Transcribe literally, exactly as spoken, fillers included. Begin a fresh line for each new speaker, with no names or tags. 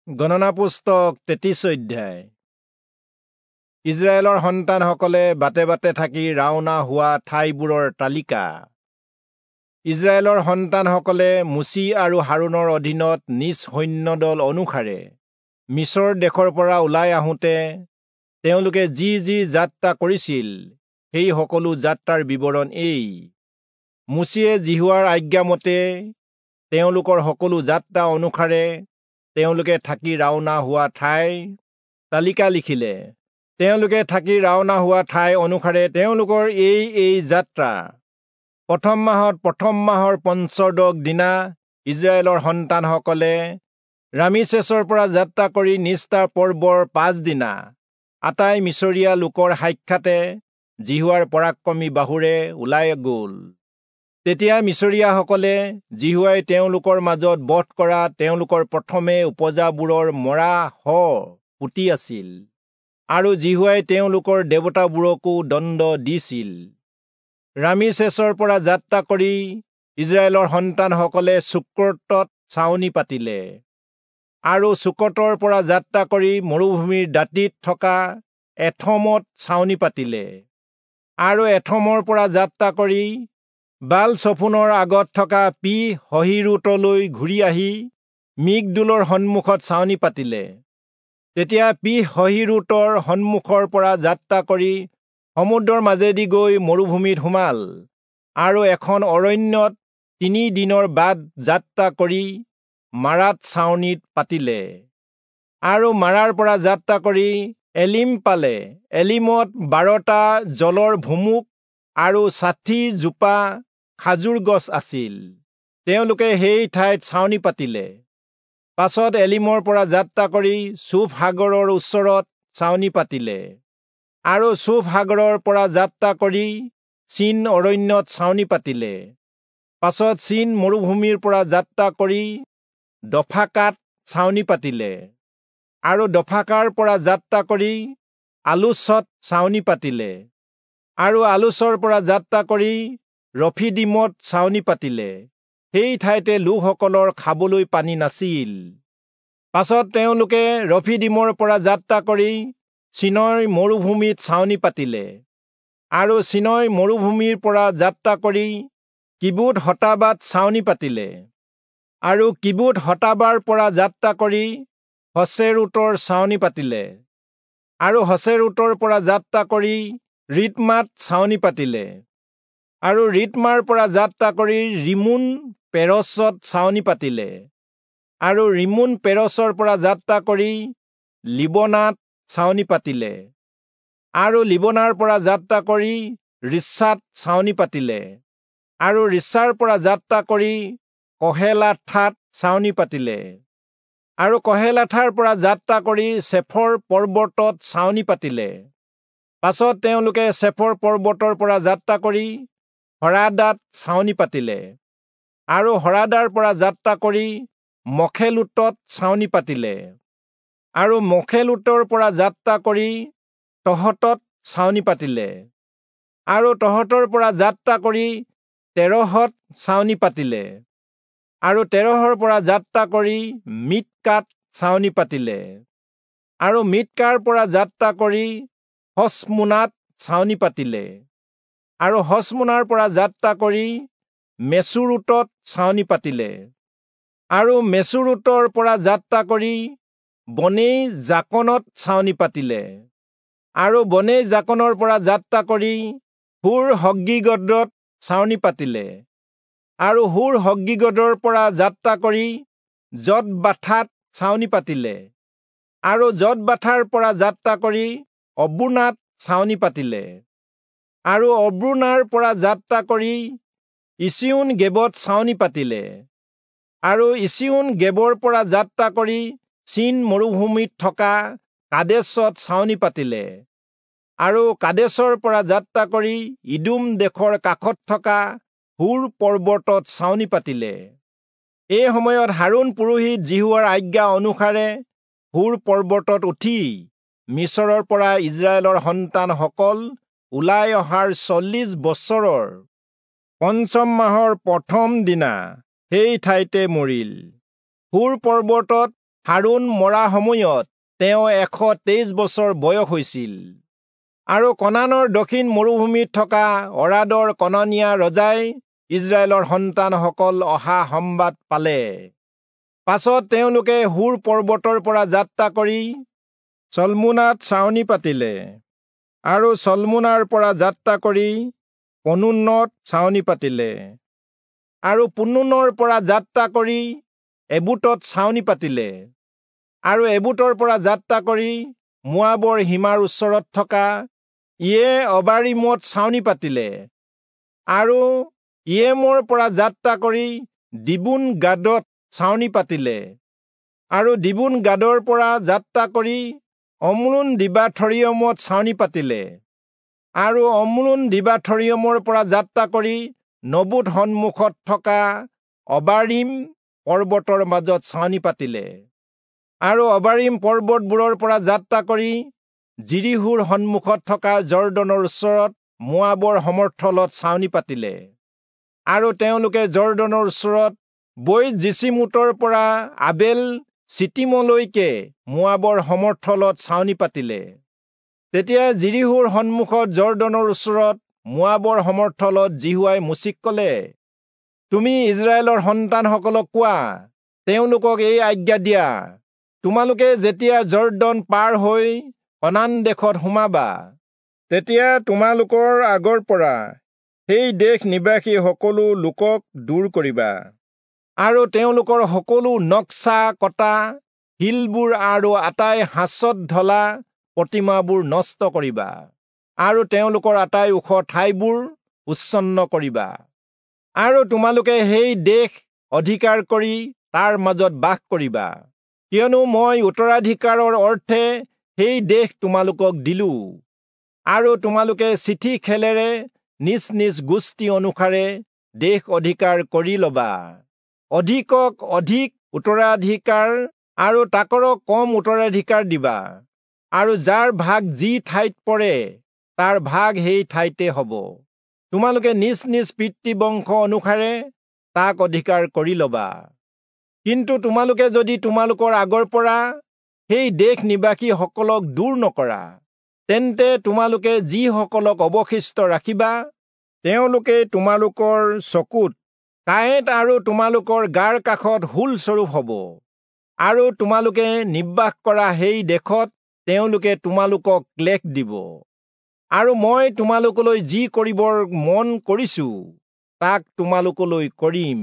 গণনা পুস্তক তেত্ৰিশ অধ্যায়। ইজৰাইলৰ সন্তানসকলে বাটে বাটে থাকি ৰাওনা হোৱা ঠাইবোৰৰ তালিকা। ইজৰাইলৰ সন্তানসকলে মোচি আৰু হাৰোণৰ অধীনত নিজ সৈন্যদল অনুসাৰে মিচৰ দেশৰ পৰা ওলাই আহোঁতে তেওঁলোকে যি যি যাত্ৰা কৰিছিল সেই সকলো যাত্ৰাৰ বিৱৰণ এই। মোচিয়ে যিহোৱাৰ আজ্ঞামতে তেওঁলোকৰ সকলো যাত্ৰা অনুসাৰে তেওঁলোকে থাকি ৰাওনা হোৱা ঠাইৰ তালিকা লিখিলে। তেওঁলোকে থাকি ৰাওনা হোৱা ঠাই অনুসাৰে তেওঁলোকৰ এই এই যাত্ৰা। প্ৰথম মাহত প্ৰথম মাহৰ পঞ্চদশ দিনা ইজৰাইলৰ সন্তানসকলে ৰামিচেছৰ পৰা যাত্ৰা কৰি নিস্তাৰ পৰ্বৰ পাছদিনা আটাই মিচৰীয়া লোকৰ সাক্ষাতে যিহোৱাৰ পৰাক্ৰমী বাহুৰে ওলাই গ'ল। তেতিয়া মিচৰীয়াসকলে যিহোৱাই তেওঁলোকৰ মাজত বধ কৰা তেওঁলোকৰ প্ৰথমে উপজাবোৰৰ মৰা শ পুতি আছিল, আৰু যিহোৱাই তেওঁলোকৰ দেৱতাবোৰকো দণ্ড দিছিল। ৰামিচেছৰ পৰা যাত্ৰা কৰি ইজৰাইলৰ সন্তানসকলে চুক্কোতত ছাউনি পাতিলে, আৰু চুক্কোতৰ পৰা যাত্ৰা কৰি মৰুভূমিৰ দাঁতিত থকা এথমত ছাউনি পাতিলে, আৰু এথমৰ পৰা যাত্ৰা কৰি বাল চফোনৰ আগত থকা পি হহীৰোতলৈ ঘূৰি আহি মিগদোলৰ সন্মুখত ছাউনি পাতিলে। তেতিয়া পি হহীৰোতৰ সন্মুখৰ পৰা যাত্ৰা কৰি সমুদ্ৰৰ মাজেদি গৈ মৰুভূমিত সোমাল, আৰু এখন অৰণ্যত তিনি দিনৰ বাট যাত্ৰা কৰি মাৰাত ছাউনিত পাতিলে, আৰু মাৰাৰ পৰা যাত্ৰা কৰি এলিম পালে। এলিমত বাৰটা জলৰ ভুমুক আৰু ষাঠি জোপা খাজুৰ গছ আছিল। তেওঁলোকে সেই ঠাইত ছাউনি পাতিলে। পাছত এলিমৰ পৰা যাত্ৰা কৰি চুফ সাগৰৰ ওচৰত ছাউনি পাতিলে, আৰু চুফ সাগৰৰ পৰা যাত্ৰা কৰি চীন অৰণ্যত ছাউনি পাতিলে। পাছত চীন মৰুভূমিৰ পৰা যাত্ৰা কৰি দফাকাত ছাউনি পাতিলে, আৰু দফাকাৰ পৰা যাত্ৰা কৰি আলুচত ছাউনি পাতিলে, আৰু আলুচৰ পৰা যাত্ৰা কৰি ৰফিদীমত ছাউনি পাতিলে। সেই ঠাইতে লোকসকলৰ খাবলৈ পানী নাছিল। পাছত তেওঁলোকে ৰফিদীমৰ পৰা যাত্ৰা কৰি চীনয় মৰুভূমিত ছাউনি পাতিলে, আৰু চীনয় মৰুভূমিৰ পৰা যাত্ৰা কৰি কিবুত হতাবাত ছাউনি পাতিলে, আৰু কিবুত হতাবাৰ পৰা যাত্ৰা কৰি হচেৰোতৰ ছাউনি পাতিলে, আৰু হচেৰোতৰ পৰা যাত্ৰা কৰি ৰিত্মাত ছাউনি পাতিলে, আৰু ৰিত্মাৰ পৰা যাত্ৰা কৰি ৰিমোন পেৰচত ছাউনি পাতিলে, আৰু ৰিমোন পেৰচৰ পৰা যাত্ৰা কৰি লিবনাত ছাউনি পাতিলে, আৰু লিবনাৰ পৰা যাত্ৰা কৰি ৰিচ্ছাত ছাউনি পাতিলে, আৰু ৰিচ্ছাৰ পৰা যাত্ৰা কৰি কহেলাথাত ছাউনি পাতিলে, আৰু কহেলাথাৰ পৰা যাত্ৰা কৰি চেফৰ পৰ্বতত ছাউনি পাতিলে। পাছত তেওঁলোকে চেফৰ পৰ্বতৰ পৰা যাত্ৰা কৰি হৰাদাত ছাউনি পাতিলে, আৰু হৰাদাৰ পৰা যাত্ৰা কৰি মখেলোতত ছাউনি পাতিলে, আৰু মখেলোতৰ পৰা যাত্ৰা কৰি তহতত ছাউনি পাতিলে, আৰু তহতৰ পৰা যাত্ৰা কৰি তেৰহত ছাউনি পাতিলে, আৰু তেৰহৰ পৰা যাত্ৰা কৰি মিৎকাত ছাউনি পাতিলে, আৰু মিৎকাৰ পৰা যাত্ৰা কৰি হচমোনাত ছাউনি পাতিলে, আৰু হচমোনাৰ পৰা যাত্ৰা কৰি মেচুৰোতত ছাউনি পাতিলে, আৰু মেচুৰোতৰ পৰা যাত্ৰা কৰি বনেই জাকনত ছাউনি পাতিলে, আৰু বনেই জাকনৰ পৰা যাত্ৰা কৰি হুৰ হগ্গীগদত ছাউনি পাতিলে, আৰু হুৰ হগ্গীগদৰ পৰা যাত্ৰা কৰি যতবাথাত ছাউনি পাতিলে, আৰু যতবাথাৰ পৰা যাত্ৰা কৰি অব্ৰোনাত ছাউনি পাতিলে, আৰু অব্ৰোনাৰ পৰা যাত্ৰা কৰি ইচিয়োন গেবত ছাউনি পাতিলে, আৰু ইচিয়োন গেবৰ পৰা যাত্ৰা কৰি চীন মৰুভূমিত থকা কাদেশত ছাউনি পাতিলে, আৰু কাদেশৰ পৰা যাত্ৰা কৰি ইদোম দেশৰ কাষত থকা হুৰ পৰ্বতত ছাউনি পাতিলে। এই সময়ত হাৰোণ পুৰোহিত যিহোৱাৰ আজ্ঞা অনুসাৰে হুৰ পৰ্বতত উঠি মিচৰৰ পৰা ইজৰাইলৰ সন্তানসকল ওলাই অহাৰ চল্লিশ বছৰৰ পঞ্চম মাহৰ প্ৰথম দিনা সেই ঠাইতে মৰিল। হুৰ পৰ্বতত হাৰোণ মৰা সময়ত তেওঁ এশ তেইছ বছৰ বয়স হৈছিল। আৰু কনানৰ দক্ষিণ মৰুভূমিত থকা অৰাদৰ কনানীয়া ৰজাই ইস্ৰায়েলৰ সন্তানসকল অহা সম্বাদ পালে। পাছত তেওঁলোকে হুৰ পৰ্বতৰ পৰা যাত্ৰা কৰি চলমোনাত ছাউনি পাতিলে আৰু চলমোনাৰ পৰা যাত্ৰা কৰি পনুনত ছাউনি পাতিলে আৰু পুনুনৰ পৰা যাত্ৰা কৰি এবুটত ছাউনি পাতিলে আৰু এবুটৰ পৰা যাত্ৰা কৰি মোৱাবৰ সীমাৰ ওচৰত থকা ইয়ে অবাৰিমত ছাউনি পাতিলে আৰু ইয়েমৰ পৰা যাত্ৰা কৰি দিবুন গাদত ছাউনি পাতিলে আৰু দিবুন গাদৰ পৰা যাত্ৰা কৰি অম্ৰোন দিবাথৰিয়মত ছাউনি পাতিলে আৰু অম্ৰোন দিবাথৰিয়মৰ পৰা যাত্ৰা কৰি নবুত সন্মুখত থকা অবাৰিম পৰ্বতৰ মাজত ছাউনি পাতিলে আৰু অবাৰিম পৰ্বতবোৰৰ পৰা যাত্ৰা কৰি যিৰীহোৰ সন্মুখত থকা যৰ্দনৰ ওচৰত মোৱাবৰ সমৰ্থলত ছাউনি পাতিলে। আৰু তেওঁলোকে যৰ্দনৰ ওচৰত বৈ যিচীমোতৰ পৰা আবেল চিটিমলৈকে মোৱাবৰ সমৰ্থলত ছাউনি পাতিলে। তেতিয়া যিৰীহোৰ সন্মুখত যৰ্দনৰ ওচৰত মোৱাবৰ সমৰ্থলত যিহোৱাই মোচিক কলে, তুমি ইস্ৰায়েলৰ সন্তানসকলক কোৱা, তেওঁলোকক এই আজ্ঞা দিয়া, তোমালোকে যেতিয়া যৰ্দন পাৰ হৈ কনান দেশত সোমাবা, তেতিয়া তোমালোকৰ আগৰ পৰা সেই দেশ নিবাসী সকলো লোকক দূৰ কৰিবা আৰু তেওঁলোকৰ সকলো নক্সা কটা শিলবোৰ আৰু আটাই সাঁচত ঢলা প্ৰতিমাবোৰ নষ্ট কৰিবা আৰু তেওঁলোকৰ আটাই ওখ ঠাইবোৰ উচ্ছন্ন কৰিবা আৰু তোমালোকে সেই দেশ অধিকাৰ কৰি তাৰ মাজত বাস কৰিবা, কিয়নো মই উত্তৰাধিকাৰৰ অৰ্থে সেই দেশ তোমালোকক দিলো। আৰু তোমালোকে চিঠি খেলেৰে নিজ নিজ গোষ্ঠী অনুসাৰে দেশ অধিকাৰ কৰি লবা। অধিকক অধিক উত্তৰাধিকাৰ আৰু তাকৰক কম উত্তৰাধিকাৰ দিবা, আৰু যাৰ ভাগ যি ঠাইত পৰে তাৰ ভাগ সেই ঠাইতে হ'ব। তোমালোকে নিজ নিজ পিতৃবংশ অনুসাৰে তাক অধিকাৰ কৰি লবা। কিন্তু তোমালোকে যদি তোমালোকৰ আগৰ পৰা সেই দেশ নিবাসীসকলক দূৰ নকৰা, তেন্তে তোমালোকে যিসকলক অৱশিষ্ট ৰাখিবা তেওঁলোকে তোমালোকৰ চকুত কাঁইট আৰু তোমালোকৰ গাৰ কাষত হুলস্বৰূপ হ'ব, আৰু তোমালোকে নিবাস কৰা সেই দেশত তেওঁলোকে তোমালোকক ক্লেশ দিব। আৰু মই তোমালোকলৈ যি কৰিবৰ মন কৰিছো তাক তোমালোকলৈ কৰিম।